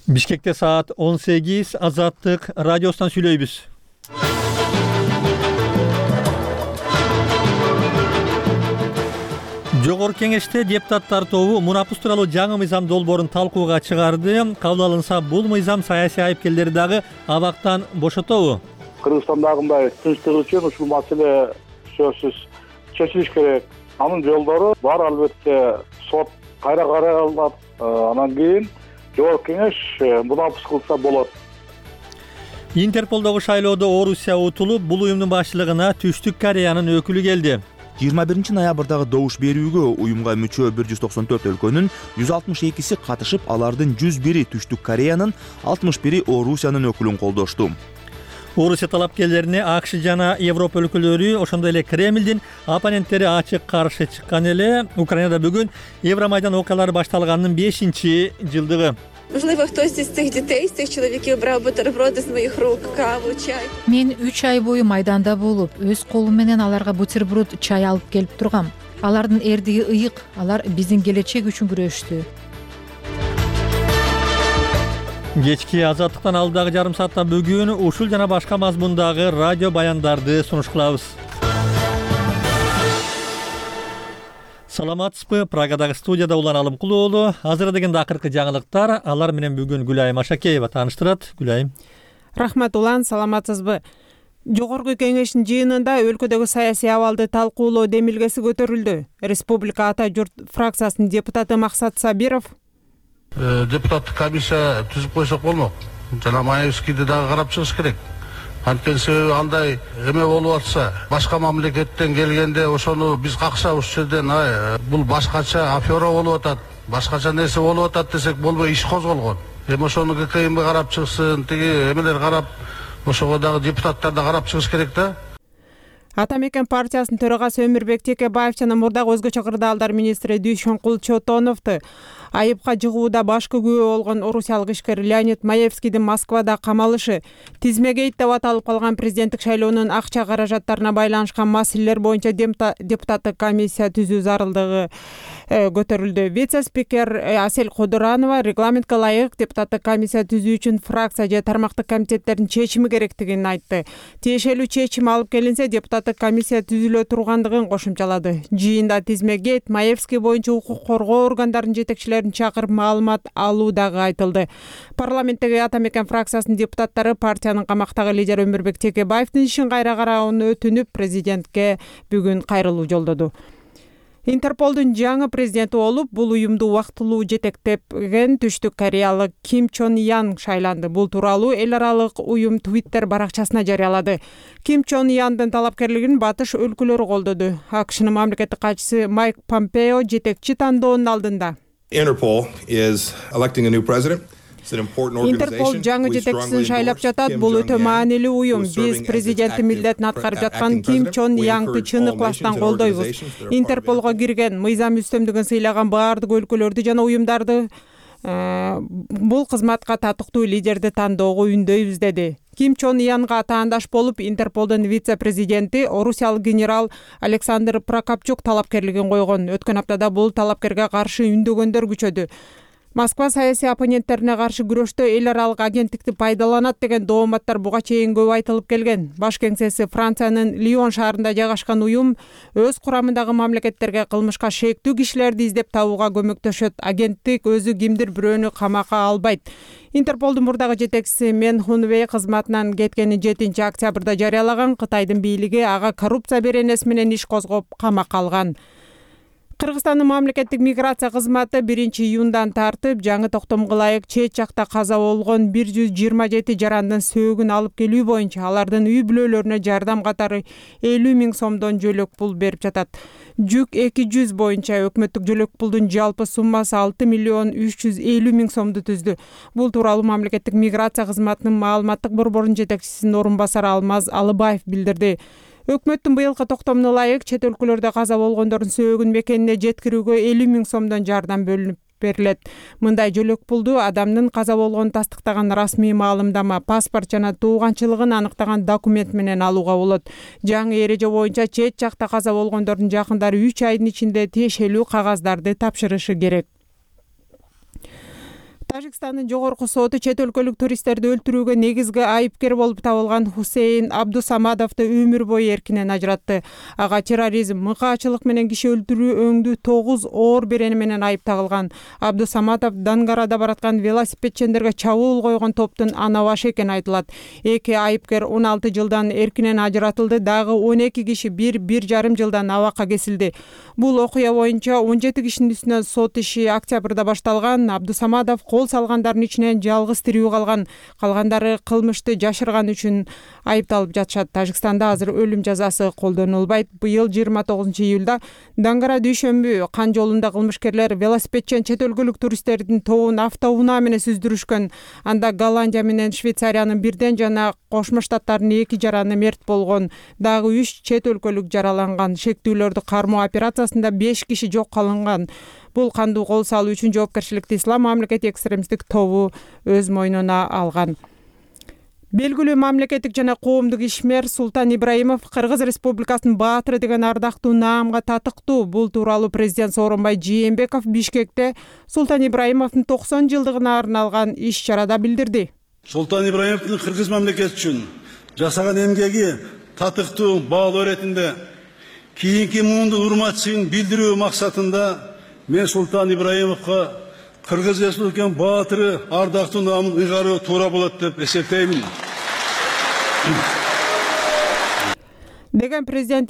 Бишкекте саат 18, Азаттык радиосунан сүйлөйбүз. Жогорку кеңеште депутаттар тобу мунапус тууралуу жаңы мыйзам долбоорун талкууга чыгарды. Кабыл алынса, бул мыйзам саясий айыпкерлерди дагы абактан бошотобу? Кыргызстандагындай тынчтык үчүн ушул маселе сөзсүз чечилиш керек. Анын жолдору бар, албетте сот кайра каралат, анан кийин жогорку кеңеш мунапус кылса болот. Интерполдогу шайлоодо Орусия утулуп, бул уюмдун башчылыгына Түштүк Кореянын өкүлү келди. 21 ноябрдагы добуш берүүгө уюмга мүчө 194 өлкөнүн 162си катышып, алардын 101и Түштүк Кореянын, 61и Орусиянын өкүлүн колдошту. Орусия талапкерлерине АКШ жана Европа өлкөлөрү, ошондой эле Кремлдин оппоненттери ачык каршы чыккан эле. Украинада бүгүн Евромайдан окуялары башталганынын 5-жылдыгы. Можливо, хтось із цих дітей, з цих чоловіків брав бутерброди з моїх рук, каву, чай. Мен 3 ай бою майданда болуп, өз колум менен аларга бутерброд, чай алып келип тургам. Алардын эрдиги ыйык, алар биздин келечек үчүн күрөштү. Кечки Азаттыктан алдагы жарым саатта бүгүн ушул жана башка мазмундагы радио баяндарды сунуш кылабыз. Саламатсызбы? Прагадагы студияда Улан Алымкулуу уулу. Азыр дегенде акыркы жаңылыктар. Алар менен бүгүн Гүлайым Ашакеева тааныштырат. Гүлайым. Рахмат Улан, саламатсызбы? Жогорку кеңештин жыйынында өлкөдөгү саясий абалды талкуулоо демилгеси көтөрүлдү. Республика Ата журт фракциясынын депутаты Максат Сабиров депутаттык комиссия түзүп койсок болмок. Жана Маевскийди дагы карап чыгыш керек. Анткени себеби андай эме болуп атса, башка мамлекеттен келгенде ошону биз какшап ушул жерден бул башкача афера болуп атат, башкача нерсе болуп атат десек болбой иш козголгон. Эми ошону ГКМБ карап чыгсын, тиги эмелер карап, ошого дагы депутаттар да карап чыгыш керек да. Ата мекен партиясынын төрагасы Өмүрбек Текебаев жана мурдагы өзгөчө кырдаалдар министри Дүйшөнкул Чотоновду айыпка жыгууда башкы күбө болгон орусиялык ишкер Леонид Маевскийдин Москвада камалышы, тизмегейт деп аталып калган президенттик шайлоонун акча каражаттарына байланышкан маселелер боюнча депутаттык комиссия түзүү зарылдыгы көтөрүлдү. Вице-спикер Асель Кодуранова регламентке ылайык депутаттык комиссия түзүү үчүн фракция же тармактык комитеттердин чечими керектигин айтты. Тиешелүү чечим алып келинсе, депутаттык комиссия түзүлө тургандыгын кошумчалады. Жыйында тизмегейт Маевский боюнча укук коргоо органдарынын жетекчилерин чакырып маалымат алуу дагы айтылды. Парламенттеги Ата мекен фракциясынын депутаттары партиянын камактагы лидери Өмүрбек Текебаевдин ишин кайра карауун өтүнүп, президентке бүгүн кайрылуу жолдоду. Интерполдун жаңы президенти болуп, бул уюмду убактылуу жетектеген Түштүк Кореялык Ким Чон Ян шайланды. Бул тууралуу эл аралык уюм Twitter баракчасына жарыялады. Ким Чон Яндын талапкерлигин батыш өлкөлөрү колдоду. АКШнын мамлекеттик катчысы Майк Помпео жетекчи тандоонун алдында. Interpol is electing a new president. Интерпол жаңы жетекчисин шайлап жатат. Бул өтө маанилүү уюм. Биз президенттин милдетин аткарып жаткан Ким Чон Янгды чын ыкластан колдойбуз. Интерполго кирген, мыйзам үстөмдүгүн сыйлаган баардык өлкөлөрдү жана уюмдарды бул кызматка татыктуу лидерди тандоого үндөйбүз деди. Ким Чон Янга таандаш болуп, Интерполдун вице-президенти орусиялык генерал Александр Прокопчук талапкерлигин койгон. Өткөн аптада бул талапкерге каршы үндөгөндөр күчөдү. Москва саясий оппоненттерине каршы күрөштө эл аралык агенттикти пайдаланат деген дооматтар буга чейин көп айтылып келген. Баш кеңсеси Франциянын Лион шаарында жайгашкан уюм өз курамындагы мамлекеттерге кылмышка шектүү кишилерди издеп табууга көмөктөшөт. Агенттик өзү кимдир бирөөнү камакка албайт. Интерполдун мурдагы жетекчиси Мен Хунвей кызматынан кеткени 7 октябрда жарыялаган. Кытайдын бийлиги ага коррупция беренеси менен иш козгоп камакка алган. Кыргызстандын мамлекеттик миграция кызматы 1-июндан тартып жаңы токтомго ылайык чет жакта каза болгон 127 жарандын сөөгүн алып келүү боюнча алардын үй бүлөлөрүнө жардам катары 50 000 сомдон жөлөк пул берип жатат. Жүк 200 боюнча өкмөттүк жөлөк пулдун жалпы суммасы 6 350 000 сомду түздү. Бул тууралуу мамлекеттик миграция кызматынын маалыматтык борборунун жетекчисинин орун басары Алмаз Алыбаев билдирди. Өкмөттүн быйылкы токтомуна ылайык чет өлкөлөрдө каза болгондордун сөөгүн мекенине жеткирүүгө 50 000 сомдон жардам бөлүнүп берилет. Мындай жөлөк пулду адамдын каза болгонун тастыктаган расмий маалымдама, паспорт жана тууганчылыгын аныктаган документ менен алууга болот. Жаңы эреже боюнча чет жакта каза болгондордун жакындары 3 айдын ичинде тиешелүү кагаздарды тапшырышы керек. Тажикстандын жогорку соту чет өлкөлүк туристтерди өлтүрүүгө негизги айыпкер болуп табылган Хусейн Абдусамадовду өмүр бою эркинен ажыратты. Ага терроризм, мыкаачылык менен киши өлтүрүү өңдүү 9 оор берени менен айып тагылган. Абдусамадов Дангарада бараткан велосипедчендерге чабуул койгон топтун ана башы экени айтылат. Эки айыпкер 16 жылдан эркинен ажыратылды, дагы 12 киши 1,5 жылдан абакка кесилди. Бул окуя боюнча 17 кишинин үстүнөн сот иши октябрда башталган. Абдусамадов кол салгандардын ичинен жалгыз тирүү калган. Калгандары кылмышты жашырган үчүн айыпталып жатышат. Тажикстанда азыр өлүм жазасы колдонулбайт. Быйыл 29 июлда Дангара дүйшөмбү кан жолунда кылмышкерлер велосипедчен чет өлкөлүк туристтердин тобун автоунаа менен сүздүрүшкөн. Анда Голландия менен Швейцариянын бирден жана Кошмо Штаттардын 2 жараны мерт болгон. Дагы 3 чет өлкөлүк жараланган. Шектүүлөрдү кармоо операциясында 5 киши жок кылынган. Бул кандуу кол салуу үчүн жоопкерчиликти Ислам мамлекети экстремисттик тобу өз мойнуна алган. Белгилүү мамлекеттик жана коомдук ишмер Султан Ибраимов Кыргыз Республикасынын баатыры деген ардактуу наамга татыктуу. Бул тууралуу президент Сооронбай Жээнбеков Бишкекте Султан Ибраимовдун 90 жылдыгына арналган иш-чарада билдирди. Султан Ибраимовдун Кыргыз мамлекети үчүн жасаган эмгеги татыктуу баалоо иретинде кийинки муундун урматчылыгын билдирүү максатында мен Султан Ибраимовго Кыргыз Республикасынын баатыры ардактуу наамын ыйгаруу туура болот деп эсептеймин. Деген президент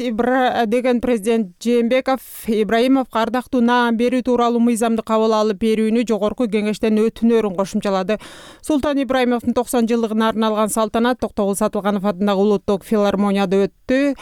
Жээнбеков Ибраимовго ардактуу наам берүү тууралуу мыйзамды кабыл алып берүүнү жогорку кеңештен өтүнөрүн кошумчалады. Султан Ибраимовдун 90 жылдыгына арналган салтанат Токтогул Сатылганов атындагы улуттук филармонияда өттү.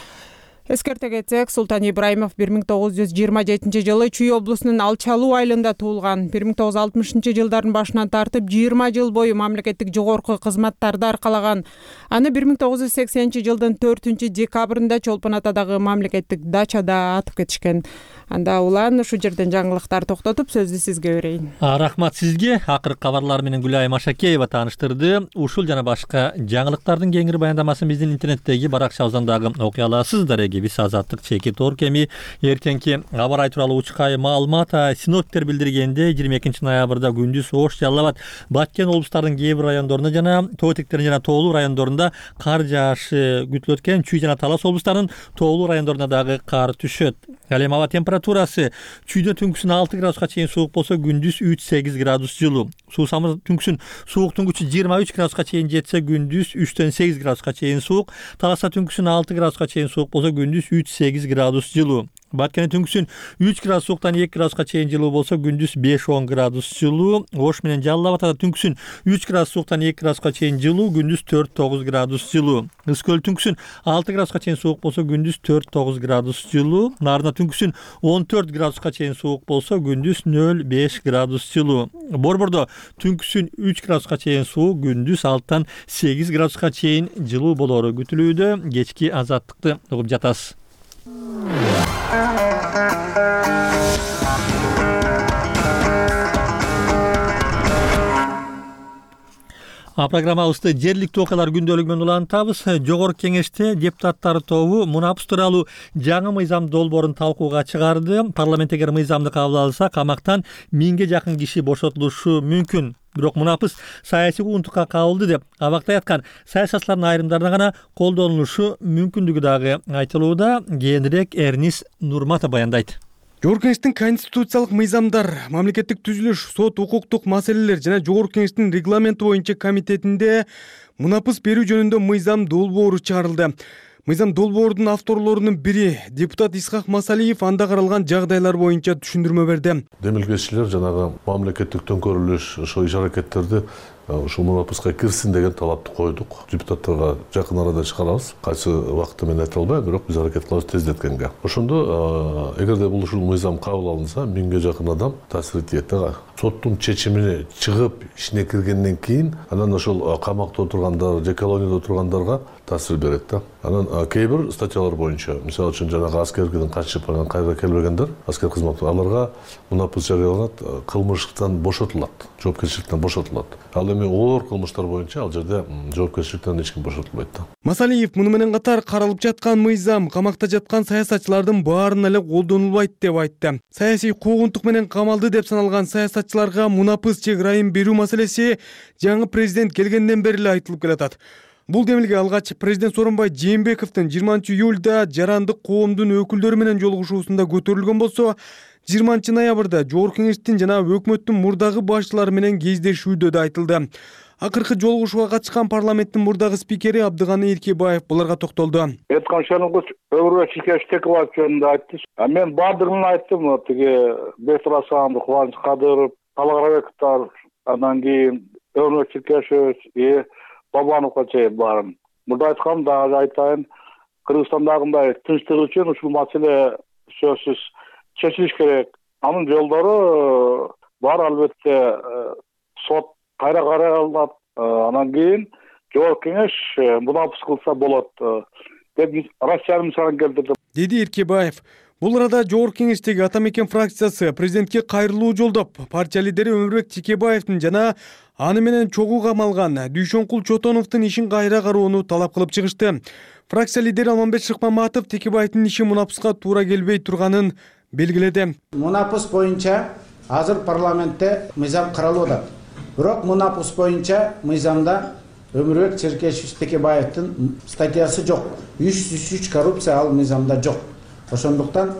Эскерте кетсек, Султан Ибраимов 1927 жылы Чүй облусунун Алчалуу айылында туулган. 1960 жылдардын башынан тартып 20 жыл бою мамлекеттик жогорку кызматтарды аркалаган. Аны 1980 жылдын 4 декабрында Чолпон Атадагы мамлекеттик дачада атып кетишкен. Анда улан ушу жерден жаңылыктар токтотуп сөздү сизге берейин. Рахмат сизге. Акыркы кабарлар менен Гүлайым Ашакеева тааныштырды. Ушул жана башка жаңылыктардын кеңири баяндамасын биздин интернеттеги баракчабыздан дагы окуй аласыздар. Биз Азаттык чеки Торкеми эртеңки аба ырайы тууралуу учкай маалымат. Синоптиктер билдиргенде 22 ноябрда күндүз ош жаллабат. Баткен облустарынын кээ бир райондорунда жана тоо этектеринин жана тоолуу райондорунда кар жаашы күтүлөт экен. Чүй жана Талас облустарынын тоолуу райондорунда дагы кар түшөт. Ал эми аба температурасы чүйдө түнкүсүн 6 градуска чейин суук болсо, күндүз 3-8 градус жылуу. Суусамыр түнкүсүн сууктун күчү 23 градуска чейин жетсе, күндүз 3-8 градуска чейин суук. Таласта түнкүсүн 6 градуска чейин суук болсо, күндүз 3-8 градус жылуу. Баткенде түнкүсүн 3 градус сууктан 2 градуска чейин жылуу болсо, күндүз 5-10 градус жылуу. Ош менен Жалал Абадда түнкүсүн 3 градус сууктан 2 градуска чейин жылуу, күндүз 4-9 градус жылуу. Ысык көл түнкүсүн 6 градуска чейин суук болсо, күндүз 4-9 градус жылуу. Нарында түнкүсүн 14 градуска чейин суук болсо, күндүз 0-5 градус жылуу. Борбордо түнкүсүн 3 градуска чейин суук, күндүз 6-8 градуска чейин жылуу болору күтүлүүдө. Кечки Азаттыкты угуп жатасыз. Программабызды жергиликтүү окуялар күндөлүгү менен улантабыз. Жогорку кеңеште депутаттар тобу мунапыс тууралуу жаңы мыйзам долбоорун талкууга чыгарды. Парламент эгер мыйзамды кабыл алса, камактан 1000ге жакын киши бошотулушу мүмкүн. Бирок мунапыс саясий угунтукка кабылды деп абактай аткан саясатчылардын айрымдарына гана колдонулушу мүмкүндүгү дагы айтылууда. Кийинирээк Эрнис Нурматов баяндайт. Жогорку кеңештин конституциялык мыйзамдар, мамлекеттик түзүлүш, сот, укуктук маселелер жана Жогорку кеңештин регламенти боюнча комитетинде мунапыс берүү жөнүндө мыйзам долбоору чыгарылды. Мыйзам долбоордун авторлорунун бири депутат Исхак Масалиев анда каралган жагдайлар боюнча түшүндүрмө берди. Демилгечилер жанагы мамлекеттик төңкөрүлүш ошо иш-аракеттерди ушул мунапыска кирсин деген талапты койдук. Депутаттарга жакын арада чыгарабыз. Кайсы убакытта мен айта албайм, бирок биз аракет кылабыз тездеткенге. Ошондо эгерде бул ушул мыйзам кабыл алынса, 1000ге жакын адам таасир этет. Соттун чечимине чыгып ишине киргенден кийин анан ошол камакта отургандар же колонияда отургандарга таасир берет да. Анан кээ бир статьялар боюнча, мисалы үчүн жанагы аскерден качып анан кайра келбегендер, аскер кызматы аларга мунапыс жарыяланат, кылмыштан бошотулат, жоопкерчиликтен бошотулат. Ал эми оор кылмыштар боюнча ал жерде жоопкерчиликтен эч ким бошотулбайт да. Масалиев муну менен катар каралып жаткан мыйзам камакта жаткан саясатчылардын баарына эле колдонулбайт деп айтты. Саясий куугунтук менен камалды деп саналган саясатчыларга мунапыс же ырайым берүү маселеси жаңы президент келгенден бери эле айтылып келатат. Бул демилге алгач президент Сооронбай Жээнбековдун 20-июлда жарандык коомдун өкүлдөрү менен жолугушуусунда көтөрүлгөн болсо, 20-ноябрда Жогорку Кеңештин жана өкмөттүн мурдагы башчылары менен кездешүүдө да айтылды. Акыркы жолугушууга катышкан парламенттин мурдагы спикери Абдыганы Эркебаев буларга токтолду. Айтканчалык Өмүрбек Чиркешбеков жөнүндө айтты. Мен баардыгын айттым. Тиги Бектур Асанов, Кубаныч Кадыров, Талгарбековдор, андан кийин Өмүрбек Чиркешев Бабановго чейин баарын. Мурда айткам дагы айтайын. Кыргызстандагындай тынчтык үчүн ушул маселе сөзсүз чечилиш керек. Анын жолдору бар, албетте сот кайра каралат. Анан кийин Жогорку Кеңеш мунапыс кылса болот деп Россиянын мисалын келтирди, деди Эркебаев. Бул арада Жогорку Кеңештеги Ата Мекен фракциясы президентке кайрылуу жолдоп, партия лидери Өмүрбек Текебаевдин жана аны менен чогуу камалган Дүйшөнкул Чотоновдун ишин кайра кароону талап кылып чыгышты. Фракция лидери Алмамбет Шыкмаматов Текебаевдин иши мунапыска туура келбей турганын белгиледи. Мунапыс боюнча азыр парламентте мыйзам каралып атат. Бирок мунапыс боюнча мыйзамда Өмүрбек Чиркешев Текебаевдин статьясы жок. 303 коррупция ал мыйзамда жок. Ошондуктан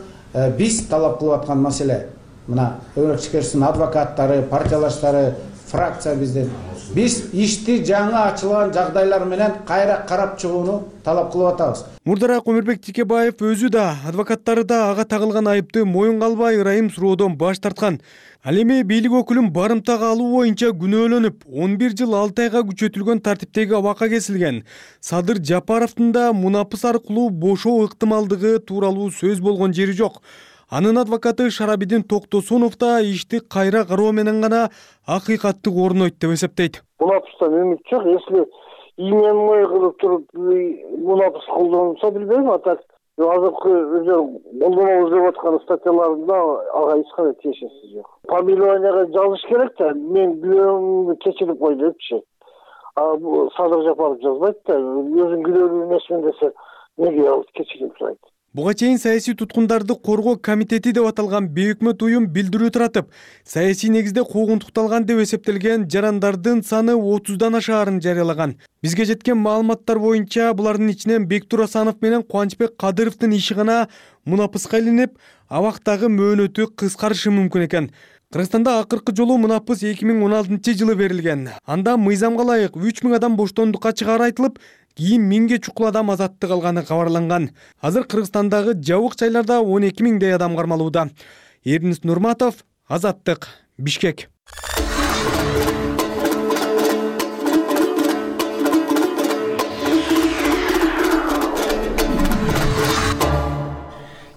биз талап кылып аткан маселе мына Өмүрбек Чиркешевдин адвокаттары, партиялаштары, фракция биз ишти жаңы ачылган жагдайлар менен кайра карап чыгууну талап кылып атабыз. Мурдараак Өмүрбек Текебаев өзү да, адвокаттары да ага тагылган айыпты моюнга албай ырайым суроодон баш тарткан. Ал эми бийлик өкүлүн барымтага алуу боюнча күнөөлөнүп, 11 жыл 6 айга күчөтүлгөн тартиптеги абакка кесилген Садыр Жапаровдун да мунапыс аркылуу бошоо ыктымалдыгы тууралуу сөз болгон жери жок. Анын адвокаты Шарабидин Токтосунов да ишти кайра кароо менен гана акыйкатты орнойт деп эсептейт. Мунапыстан үмүт жок. Если имен кылып туруп мунапыс колдонулса билбейм, а так азыркы колдонобуз деп аткан статьяларында ага эч кандай тиешеси жок. Фамилияга жазыш керек да, мен күнөөмдү кечирип кой депчи. Садыр Жапаров жазбайт да, өзүн күнөөлүү эмесмин десе неге ал кечирим сурайт. Буга чейин саясий туткундарды коргоо комитети деп аталган бейөкмөт уюм билдирүү таратып, саясий негизде куугунтукталган деп эсептелген жарандардын саны 30дан ашаарын жарыялаган. Бизге жеткен маалыматтар боюнча булардын ичинен Бектур Асанов менен Кубанычбек Кадыровдун иши гана мунапыска илинип, абактагы мөөнөтү кыскарышы мүмкүн экен. Кыргызстанда акыркы жолу мунапыс 2016-жылы берилген. Анда мыйзамга ылайык 3000 адам боштондукка чыгаары айтылып, кийин 1000ге чукул адам азаттык алганы кабарланган. Азыр Кыргызстандагы жабык жайларда 12 000 адам кармалууда. Эрдинис Нурматов, Азаттык, Бишкек.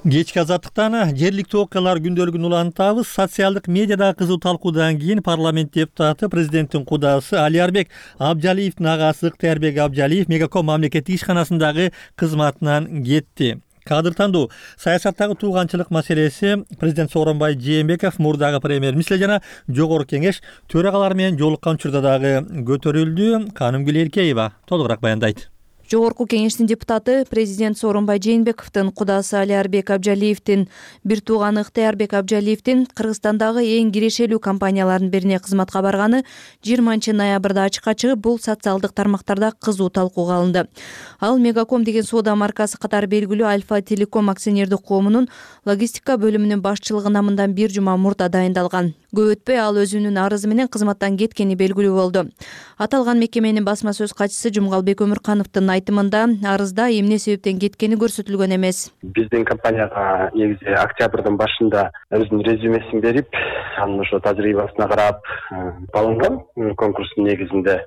Кечки Азаттыктан жергиликтүү окуялар күндөлүгүн улантабыз. Социалдык медиада кызуу талкуудан кийин парламент депутаты президенттин кудасы Алиарбек Абжалиевдин агасы Ыктыярбек Абжалиев Мегаком мамлекеттик ишканасындагы кызматынан кетти. Кадыр тандоо саясаттагы тууганчылык маселеси президент Сооронбай Жээнбеков, мурдагы премьер-министр жана Жогорку Кеңеш төрагалары менен жолуккан учурда дагы көтөрүлдү. Канымгүл Эркеева толугураак баяндайт. Жогорку Кеңештин депутаты президент Сооронбай Жээнбековдун кудасы Алиарбек Абжалиевдин бир тууганы Ыктыярбек Абжалиевдин Кыргызстандагы эң кирешелүү компаниялардын бирине кызматка барганы 20-ноябрда ачыкка чыгып, бул социалдык тармактарда кызуу талкууга алынды. Ал Мегаком деген соода маркасы катары белгилүү Альфа Телеком акционердик коомунун логистика бөлүмүнүн башчылыгы намындан бир жума мурда дайындалган. Көп өтпөй ал өзүнүн арызы менен кызматтан кеткени белгилүү болду. Аталган мекеменин басма сөз катчысы Жумгалбек Өмүркановдун айтымында арызда эмне себептен кеткени көрсөтүлгөн эмес. Биздин компанияга негизи октябрдын башында өзүнүн резюмесин берип, анын ошо тажрыйбасына карап алынган конкурстун негизинде.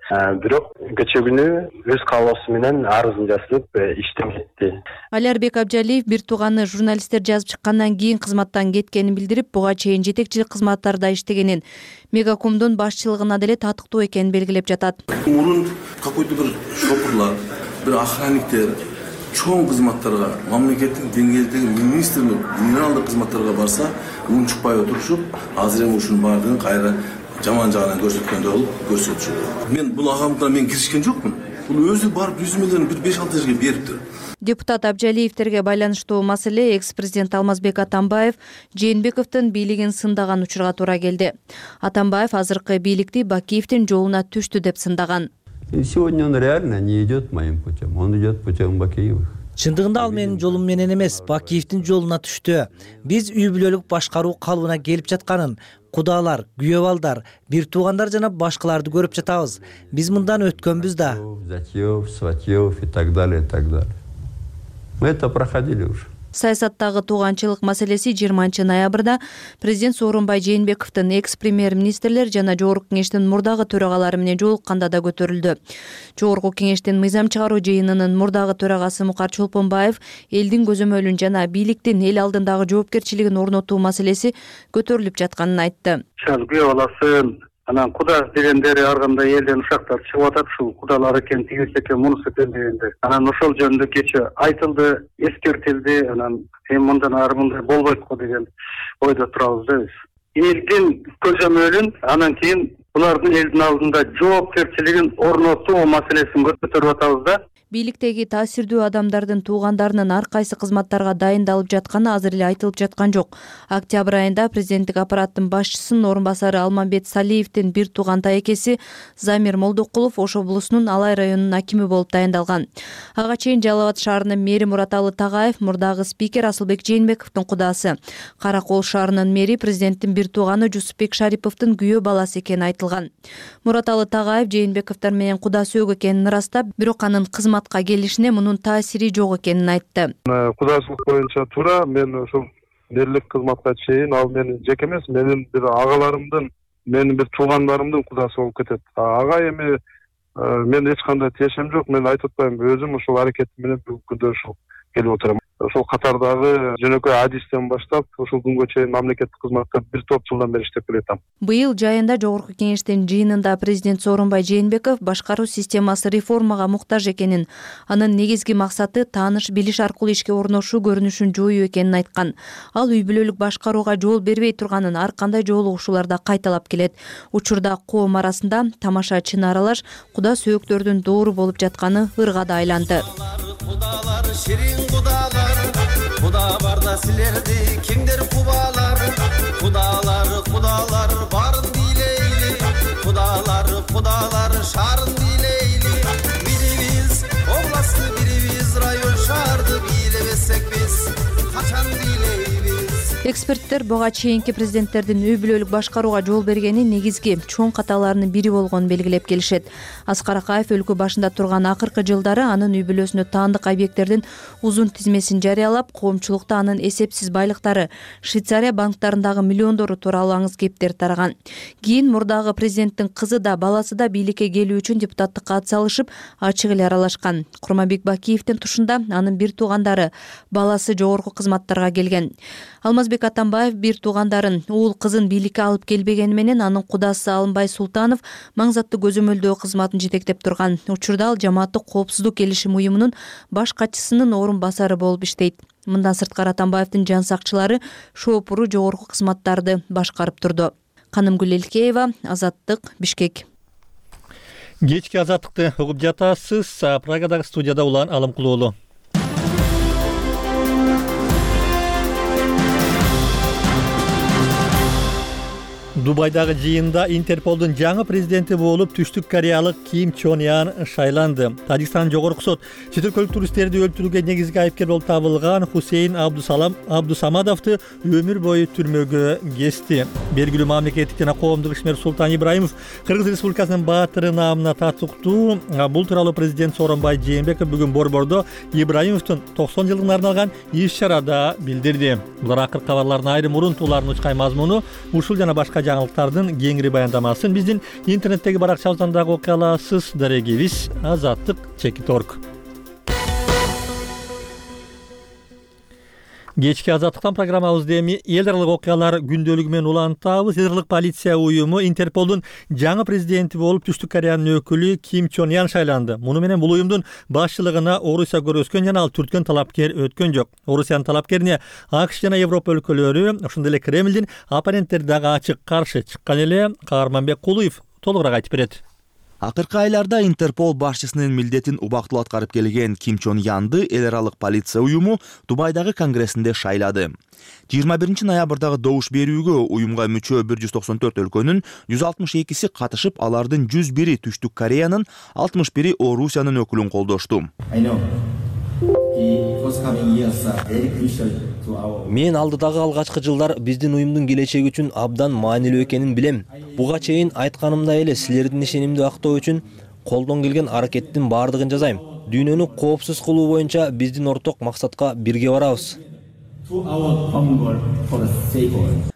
Бирок кечээ күнү өз каалоосу менен арызын жазып иштен кетти. Алиарбек Абжалиев бир тууганы журналисттер жазып чыккандан кийин кызматтан кеткенин билдирип, буга чейин жетекчилик кызматтарда иштегенин, Мегакомдун башчылыгына деле татыктуу экенин белгилеп жатат. Мурун какой-то бир шопурлар, бир охранниктер чоң кызматтарга, мамлекеттин деңгээлдеги министрлик, генералдык кызматтарга барса, унчукпай отурушуп, азыр эми ушунун баардыгын кайра жаман жагынан көрсөткөндөй болуп көрсөтчү. Мен бул агамдыга мен киришкен жокмун. Бул өзү барып 100 миллион бир 5-6 жерге бериптир. Депутат Абжалиевтерге байланыштуу маселе экс-президент Алмазбек Атамбаев Жээнбековдун бийлигин сындаган учурга туура келди. Атамбаев азыркы бийликти Бакиевдин жолуна түштү деп сындаган. Сегодня он реально не идет моим путем, он идет путем Бакиевых. Чындыгында ал менин жолум менен эмес, Бакиевдин жолуна түштү. Биз үй бүлөлүк башкаруу калыбына келип жатканын кудалар, күйөө балдар, бир туугандар жана башкаларды көрүп жатабыз. Биз мындан өткөнбүз да. Затьев, сватьев и так далее, и так далее. Мы это проходили уже. Саясаттагы тууганчылык маселеси 20-ноябрда президент Сооронбай Жээнбековдун экс-премьер-министрлер жана Жогорку кеңештин мурдагы төрагалары менен жолукканда да көтөрүлдү. Жогорку кеңештин мыйзам чыгаруу жыйынынын мурдагы төрагасы Мукар Чолпонбаев элдин көзөмөлүн жана бийликтин эл алдындагы жоопкерчилигин орнотуу маселеси көтөрүлүп жатканын айтты. Күйөө баласын анан куда дегендери ар кандай элден ушактар чыгып атат, ушул кудалар экен, тигиси экен, мунусу экен дегенде. Анан ошол жөнүндө кечээ айтылды, эскертилди, анан мындан ары мындай болбойт го деген ойдо турабыз да биз. Элдин көзөмөлүн, анан кийин булардын элдин алдында жоопкерчилигин орнотуу маселесин көтөрүп атабыз да. Бийликтеги таасирдүү адамдардын туугандарынын ар кайсы кызматтарга дайындалып жатканы азыр эле айтылып жаткан жок. Октябрь айында президенттик аппараттын башчысынын орун басары Алмамбет Салиевдин бир тууган тайекеси Замир Молдокулов Ош облусунун Алай районунун акими болуп дайындалган. Ага чейин Жалал Абад шаарынын мэри Мураталы Тагаев мурдагы спикер Асылбек Жээнбековдун кудасы. Каракол шаарынын мэри президенттин бир тууганы Жусупбек Шариповдун күйөө баласы экени айтылган. Мураталы Тагаев Жээнбековдор менен куда сөөгө экенин ырастап, бирок анын кызматка келишине мунун таасири жок экенин айтты. Кудасылык боюнча туура, мен ошол мэрлик кызматка чейин ал менин жеке эмес, менин бир агаларымдын, менин бир туугандарымдын кудасы болуп кетет. Ага эми мен эч кандай тиешем жок, мен айтып атпайм, өзүм ошол аракетим менен бүгүнкү күндө ушул келип отурам. Ошол катардагы жөнөкөй адистен баштап ушул күнгө чейин мамлекеттик кызматта бир топ жылдан бери иштеп келатам. Быйыл жайында Жогорку кеңештин жыйынында президент Сооронбай Жээнбеков башкаруу системасы реформага муктаж экенин, анын негизги максаты тааныш билиш аркылуу ишке орношуу көрүнүшүн жоюу экенин айткан. Ал үй бүлөлүк башкарууга жол бербей турганын ар кандай жолугушууларда кайталап келет. Учурда коом арасында тамаша чын аралаш куда сөөктөрдүн доору болуп жатканы ырга да айланды. Кудалар, ширин кудалар, куда барда силерди кеңдер кубалар, кудалар барын бийлейли, кудалар шарын бийлейли, бирибиз областты, бирибиз район шаарды бийлебесек биз качан бийлейбиз. Эксперттер буга чейинки президенттердин үй бүлөлүк башкарууга жол бергени негизги чоң каталарынын бири болгонун белгилеп келишет. Аскар Акаев өлкө башында турган акыркы жылдары анын үй бүлөсүнө таандык объекттердин узун тизмесин жарыялап, коомчулукта анын эсепсиз байлыктары, Швейцария банктарындагы миллиондору тууралуу аңыз кептер тараган. Кийин мурдагы президенттин кызы да баласы да бийликке келүү үчүн депутаттыкка ат салышып, ачык эле аралашкан. Курманбек Бакиевдин тушунда анын бир туугандары, баласы жогорку кызматтарга келген. Алмазбек Атамбаев бир туугандарын, уул кызын бийликке алып келбегени менен анын кудасы Алымбай Султанов маңзаттуу көзөмөлдөө кызматын жетектеп турган. Учурда ал жамааттык коопсуздук келишим уюмунун баш катчысынын орун басары болуп иштейт. Мындан сырткары Атамбаевдин жан сакчылары шоопуру жогорку кызматтарды башкарып турду. Канымгүл Элкеева, Азаттык, Бишкек. Кечки Азаттыкты угуп жатасыз. Прагадагы студияда Улан Алымкулуулу. Дубайдагы жыйында Интерполдун жаңы президенти болуп Түштүк Кореялык Ким Чон Ян шайланды. Тажикстан жогорку сот чет өлкөлүк туристтерди өлтүрүүгө негизги айыпкер болуп табылган Хусейн Абдусамадовду өмүр бою түрмөгө кести. Белгилүү мамлекеттик жана коомдук ишмер Султан Ибраимов Кыргыз Республикасынын баатыры наамына татыктуу. Бул тууралуу президент Сооронбай Жээнбеков бүгүн Борбордо Ибраимовдун 90 жылдыгына арналган иш-чарада билдирди. Булар акыркы кабарлардын айрым урунтууларынын учкай мазмуну, ушул жана башка жаңылыктардын кеңири баяндамасын биздин интернеттеги баракчабыздан дагы окуй аласыз. Дарегибиз Азаттык /org. Кечки азаттыктан программабызды эми эл аралык окуялар күндөлүгү менен улантабыз. Эл аралык полиция уюму Интерполдун жаңы президенти болуп Түштүк Кореянын өкүлү Ким Чон Ян шайланды. Муну менен бул уюмдун башчылыгына Орусия көргөзгөн жана ал түрткөн талапкер өткөн жок. Орусиянын талапкерине АКШ жана Европа өлкөлөрү, ошондой эле Кремлдин оппоненттери дагы ачык каршы чыккан эле. Каарманбек Кулуев толугураак айтып берет. Акыркы айларда Интерпол башчысынын милдетин убактылуу аткарып келген Ким Чон Янды эл аралык полиция уюму Дубайдагы конгрессинде шайлады. 21 ноябрдагы добуш берүүгө уюмга мүчө 194 өлкөнүн 162си катышып, алардын 101и Түштүк Кореянын, 61и Орусиянын өкүлүн колдошту. Мен алдыдагы алгачкы жылдар биздин уюмдун келечеги үчүн абдан маанилүү экенин билем. Буга чейин айтканымдай эле силердин ишенимди актоо үчүн колдон келген аракеттин баардыгын жасайм. Дүйнөнү коопсуз кылуу боюнча биздин орток максатка бирге барабыз.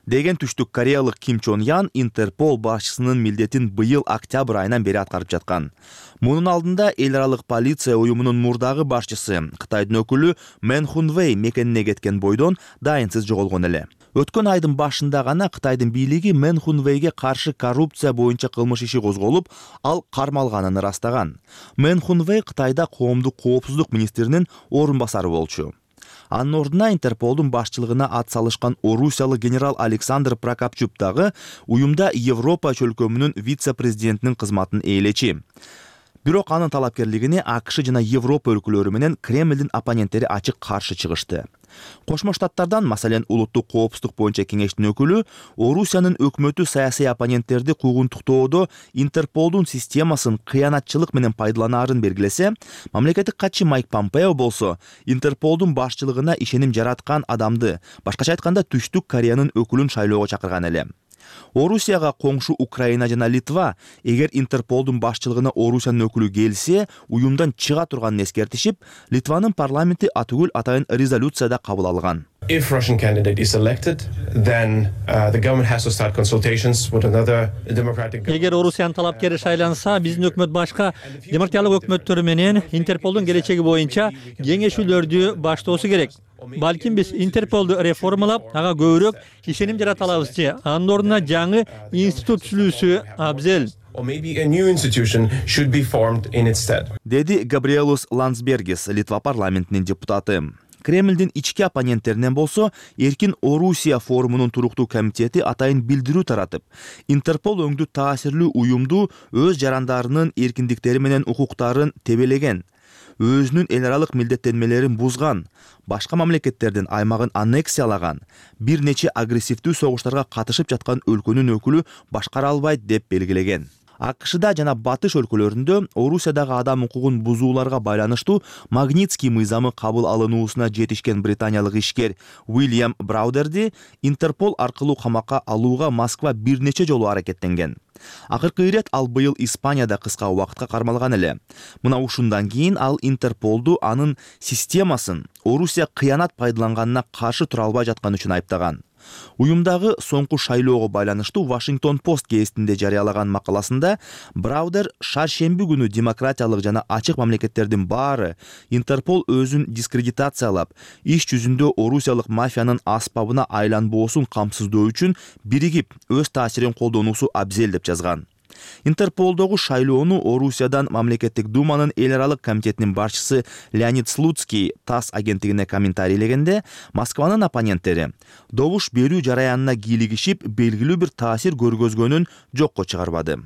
Деген Түштүк Кореялык Ким Чон Ян Интерпол башчысынын милдетин быйыл октябрь айынан бери аткарып жаткан. Мунун алдында эл аралык полиция уюмунун мурдагы башчысы Кытайдын өкүлү Мэн Хун Вэй мекенине кеткен бойдон дайынсыз жоголгон эле. Өткөн айдын башында гана Кытайдын бийлиги Мэн Хун Вэйге каршы коррупция боюнча кылмыш иши козголуп, ал кармалганын ырастаган. Мэн Хун Вэй Кытайда коомдук коопсуздук министринин орун басары болчу. Анын ордуна Интерполдун башчылыгына ат салышкан орусиялык генерал Александр Прокопчук дагы уюмда Европа чөлкөмүнүн вице-президентинин кызматын ээлечи. Бирок анын талапкерлигине АКШ жана Европа өлкөлөрү менен Кремлдин оппоненттери ачык каршы чыгышты. Кошмо Штаттардан, маселен, улуттук коопсуздук боюнча кеңештин өкүлү Орусиянын өкмөтү саясий оппоненттерди куугунтуктоодо Интерполдун системасын кыянатчылык менен пайдаланаарын белгилесе, мамлекеттик катчы Майк Помпео болсо Интерполдун башчылыгына ишеним жараткан адамды, башкача айтканда Түштүк Кореянын өкүлүн шайлоого чакырган эле. Орусияга коңшу Украина жана Литва эгер Интерполдун башчылыгына Орусиянын өкүлү келсе, уюмдан чыга турганын эскертишип, Литванын парламенти атүгүл атайын резолюцияда кабыл алган. If Russian candidate is elected, then the government has to start consultations with another democratic. Эгер Орусиянын талапкери шайланса, биздин өкмөт башка демократиялык өкмөттөрү менен Интерполдун келечеги боюнча кеңешүүлөрдү баштоосу керек. Балким биз Интерполду реформалап, ага көбүрөөк ишеним жарата алабыз же, анын ордуна жаңы институт түзүлүүсү абзел. Or maybe a new institution should be formed in its stead. Деди Габриэлус Ландсбергис, Литва парламентинин депутаты. Кремлдин ички оппоненттеринен болсо, Эркин Орусия форумунун туруктуу комитети атайын билдирүү таратып, Интерпол өңдүү таасирлүү уюмду өз жарандарынын эркиндиктери менен укуктарын тебелеген, өзүнүн эл аралык милдеттенмелерин бузган, башка мамлекеттердин аймагын аннексиялаган, бир нече агрессивдүү согуштарга катышып жаткан өлкөнүн өкүлү башкара албайт деп белгилеген. АКШда жана батыш өлкөлөрүндө Орусиядагы адам укугун бузууларга байланыштуу Магнитский мыйзамы кабыл алынуусуна жетишкен британиялык ишкер Уильям Браудерди Интерпол аркылуу камакка алууга Москва бир нече жолу аракеттенген. Акыркы ирет ал быйыл Испанияда кыска убакытка кармалган эле. Мына ушундан кийин ал Интерполду анын системасын Орусия кыянат пайдаланганына каршы тура албай жатканы үчүн айыптаган. Уюмдагы соңку шайлоого байланыштуу Washington Post гезитинде жарыялаган макаласында Браудер шаршемби күнү демократиялык жана ачык мамлекеттердин баары Интерпол өзүн дискредитациялап, иш жүзүндө орусиялык мафиянын аспабына айланбоосун камсыздоо үчүн биригип өз таасирин колдонуусу абзел деп жазган. Интерполдогу шайлоону Орусиядан мамлекеттик думанын эл аралык комитетинин башчысы Леонид Слуцкий ТАСС агенттигине комментарийлегенде, Москванын оппоненттери добуш берүү жараянына кийлигишип, белгилүү бир таасир көргөзгөнүн жокко чыгарбады.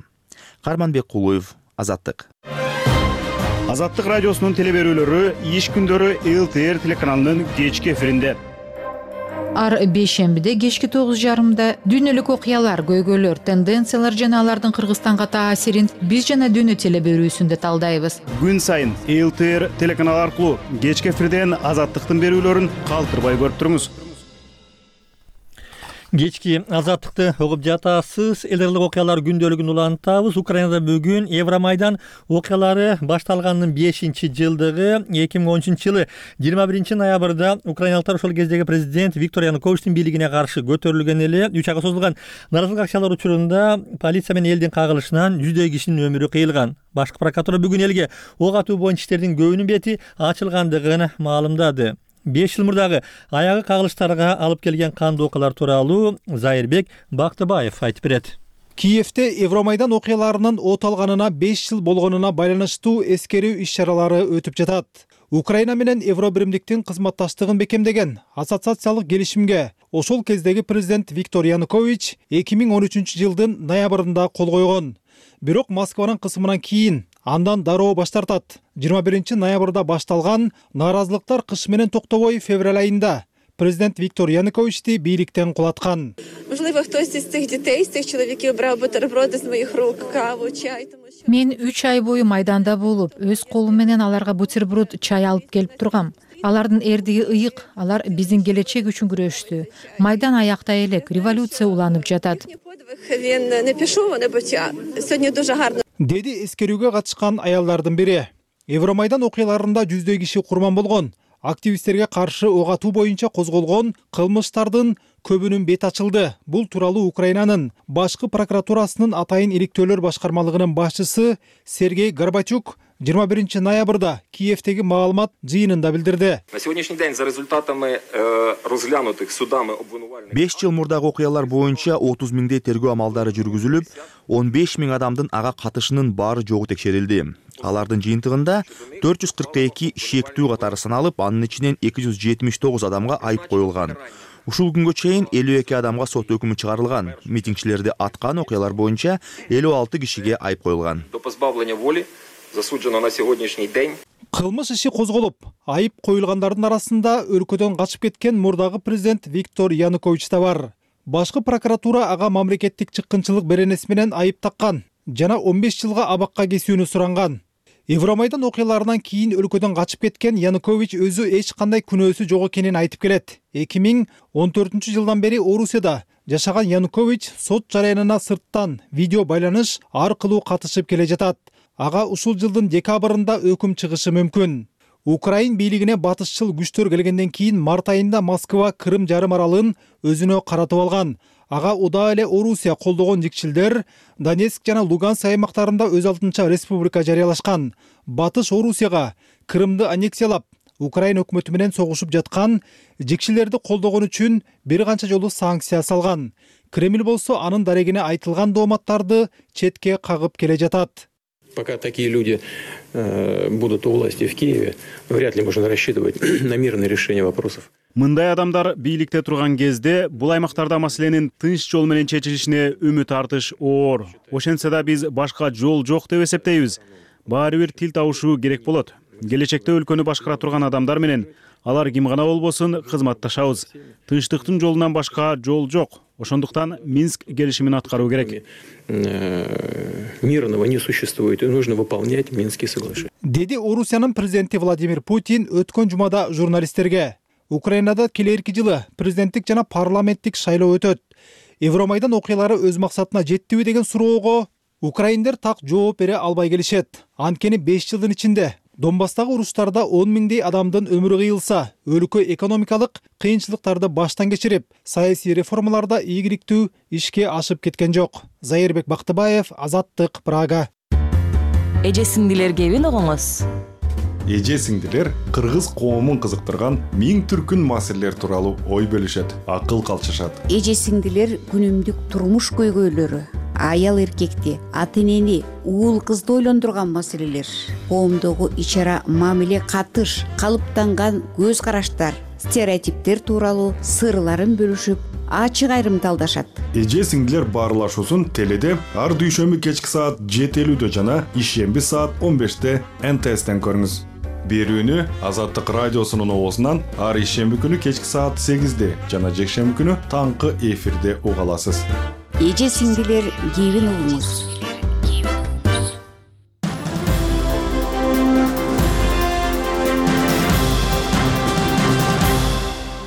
Карманбек Кулуев, Азаттык. Азаттык радиосунун телеберүүлөрү иш күндөрү ЛТР телеканалынын кечки эфиринде. Ар бейшембиде кечки 9:30 дүйнөлүк окуялар, көйгөйлөр, тенденциялар жана алардын Кыргызстанга таасирин биз жана дүйнө телеберүүсүндө талдайбыз. Күн сайын ЛТР телеканалы аркылуу кечки эфирден Азаттыктын берүүлөрүн калтырбай көрүп туруңуз. Кечки Азаттыкты угуп жатасыз. Эл аралык окуялар күндөлүгүн улантабыз. Украинада бүгүн Евромайдан окуялары башталганынын 5-жылдыгы. 2013-жылы 21 ноябрда украиналыктар ошол кездеги президент Виктор Януковичтин бийлигине каршы көтөрүлгөн эле. 3 айга созулган наразылык акциялар учурунда полиция менен элдин кагылышынан 100 кишинин өмүрү кыйылган. Башкы прокуратура бүгүн элге ок атуу боюнча иштердин көбүнүн бети ачылгандыгын маалымдады. 5 жыл мурдагы аягы кагылыштарга алып келген кандуу окуялар тууралуу Зайырбек Бактыбаев айтып берет. Киевте Евромайдан окуяларынын от алганына 5 жыл болгонуна байланыштуу эскерүү иш-чаралары өтүп жатат. Украина менен Евробиримдиктин кызматташтыгын бекемдеген ассоциациялык келишимге ошол кездеги президент Виктор Янукович 2013 жылдын ноябрында кол койгон. Бирок Москванын кысымынан кийин андан дароо баш тартат. 21 ноябрда башталган нааразылыктар кыш менен токтобой февраль айында президент Виктор Януковичти бийликтен кулаткан. Можливо, хтось із цих дітей, з цих чоловіків брав бутерброди з моїх рук, каву, чай. Мен 3 ай бою майданда болуп, өз колум менен аларга бутерброд, чай алып келип тургам. Алардын эрдиги ыйык, алар биздин келечек үчүн күрөштү. Майдан аякта элек, революция уланып жатат. Він не пішов, не почав. Сьогодні дуже гарно. Деди эскерүүгө катышкан аялдардын бири. Евромайдан окуяларында жүздөй киши курман болгон. Активисттерге каршы ок атуу боюнча козголгон кылмыштардын көбүнүн бет ачылды. Бул тууралуу Украинанын башкы прокуратурасынын атайын иликтөөлөр башкармалыгынын башчысы Сергей Горбачук 21 ноябрда Киевтеги маалымат жыйынында билдирди. На сегодняшний день за результатами розглянутых судами обвинувальных 5 жыл мурдагы окуялар боюнча 30 миңдей тергөө амалдары жүргүзүлүп, 15 миң адамдын ага катышынын баары жогу текшерилди. Алардын жыйынтыгында 442 шектүү катары саналып, анын ичинен 279 адамга айып коюлган. Ушул күнгө чейин 52 адамга сот өкүмү чыгарылган. Митингчилерди аткан окуялар боюнча 56 кишиге айып коюлган. До позбавления воли засуджено на сегодняшний день. Кылмыш иши козголуп, айып коюлгандардын арасында өлкөдөн качып кеткен мурдагы президент Виктор Янукович да бар. Башкы прокуратура ага мамлекеттик чыккынчылык беренеси менен айып таккан жана 15 жылга абакка кесүүнү суранган. Евромайдан окуяларынан кийин өлкөдөн качып кеткен Янукович өзү эч кандай күнөөсү жок экенин айтып келет. 2014 жылдан бери Орусияда жашаган Янукович сот жараянына сырттан видео байланыш аркылуу катышып келе жатат. Ага ушул жылдын декабрында өкүм чыгышы мүмкүн. Украин бийлигине батышчыл күчтөр келгенден кийин март айында Москва Крым жарым аралын өзүнө каратып алган. Ага удаа эле Орусия колдогон жикчилдер Донецк жана Луганск аймактарында өз алдынча республика жарыялашкан. Батыш Орусияга Крымды аннексиялап, Украина өкмөтү менен согушуп жаткан жикчилерди колдогон үчүн бир канча жолу санкция салган. Кремль болсо анын дарегине айтылган дооматтарды четке кагып келе жатат. Пока такие люди будут у власти в Киеве, вряд ли можно рассчитывать на мирное решение вопросов. Мындай адамдар бийликте турган кезде бул аймактарда маселенин тынч жол менен чечилишине үмүт артыш оор. Ошентсе да биз башка жол жок деп эсептейбиз. Баары бир тил табышуу керек болот. Келечекте өлкөнү башкара турган адамдар менен алар ким гана болбосун кызматташабыз. Тынчтыктын жолунан башка жол жок. Ошондуктан Минск келишимин аткаруу керек. Мирного не существует, и нужно выполнять Минские соглашения. Деди Орусиянын президенти Владимир Путин өткөн жумада журналисттерге. Украинада келерки жылы президенттик жана парламенттик шайлоо өтөт. Евромайдан окуялары өз максатына жеттиби деген суроого украиндер так жооп бере албай келишет. Анткени 5 жылдын ичинде Донбасстагы уруштарда 10 миңдей адамдын өмүрү кыйылса, өлкө экономикалык кыйынчылыктарды баштан кечирип, саясий реформаларда ийгиликтүү ишке ашып кеткен жок. Зайырбек Бактыбаев, Азаттык, Прага. Эже сиңдилер кебин огоңуз. Эже сиңдилер кыргыз коомун кызыктырган миң түркүн маселелер тууралуу ой бөлүшөт, акыл калчышат. Эже сиңдилер күнүмдүк турмуш көйгөйлөрү, аял эркекти, ата энени, уул кызды ойлондурган маселелер, коомдогу ич-ара мамиле катыш, калыптанган көз караштар, стереотиптер тууралуу сырларын бөлүшүп, ачык айрымталдашат. Эже сиңдилер баарлашуусун теледе ар дүйшөмбү кечки саат 7:50 жана ишемби саат 15-те НТСтен көрүңүз. Берүүнү Азаттык радиосунун оозунан ар ишемби күнү кечки саат 8-де жана жекшемби күнү таңкы эфирде уга аласыз. Эже сиңдилер кебин угуңуз.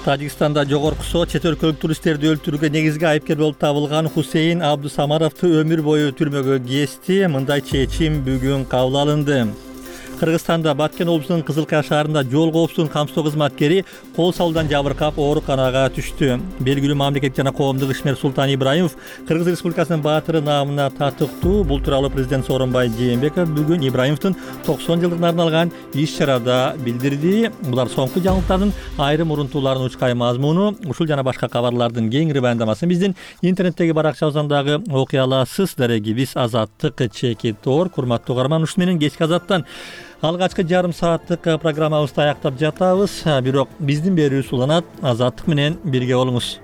Тажикстанда жогорку сот чет өлкөлүк туристтерди өлтүрүүгө негизги айыпкер болуп табылган Хусейин Абдусамаровду өмүр бою түрмөгө кести. Мындай чечим бүгүн кабыл алынды. Кыргызстанда Баткен облусунун Кызылкая шаарында жол коопсуздугун камсыздоо кызматкери кол салуудан жабыркап ооруканага түштү. Белгилүү мамлекеттик жана коомдук ишмер Султан Ибраимов Кыргыз Республикасынын баатыры наамына татыктуу. Бул тууралуу президент Сооронбай Жээнбеков бүгүн Ибраимовдун 90 жылдыгына арналган иш-чарада билдирди. Булар соңку жаңылыктардын айрым урунтууларынын учкай мазмуну. Ушул жана башка кабарлардын кеңири баяндамасын биздин интернеттеги баракчабыздан дагы окуй аласыз. Дарегибиз Азаттык чекитор. Курматтуу угарман, ушу менен кечки Азаттан алгачкы жарым сааттык программабызды аяктап жатабыз. Бирок биздин берүүбүз уланат. Азаттык менен бирге болуңуз.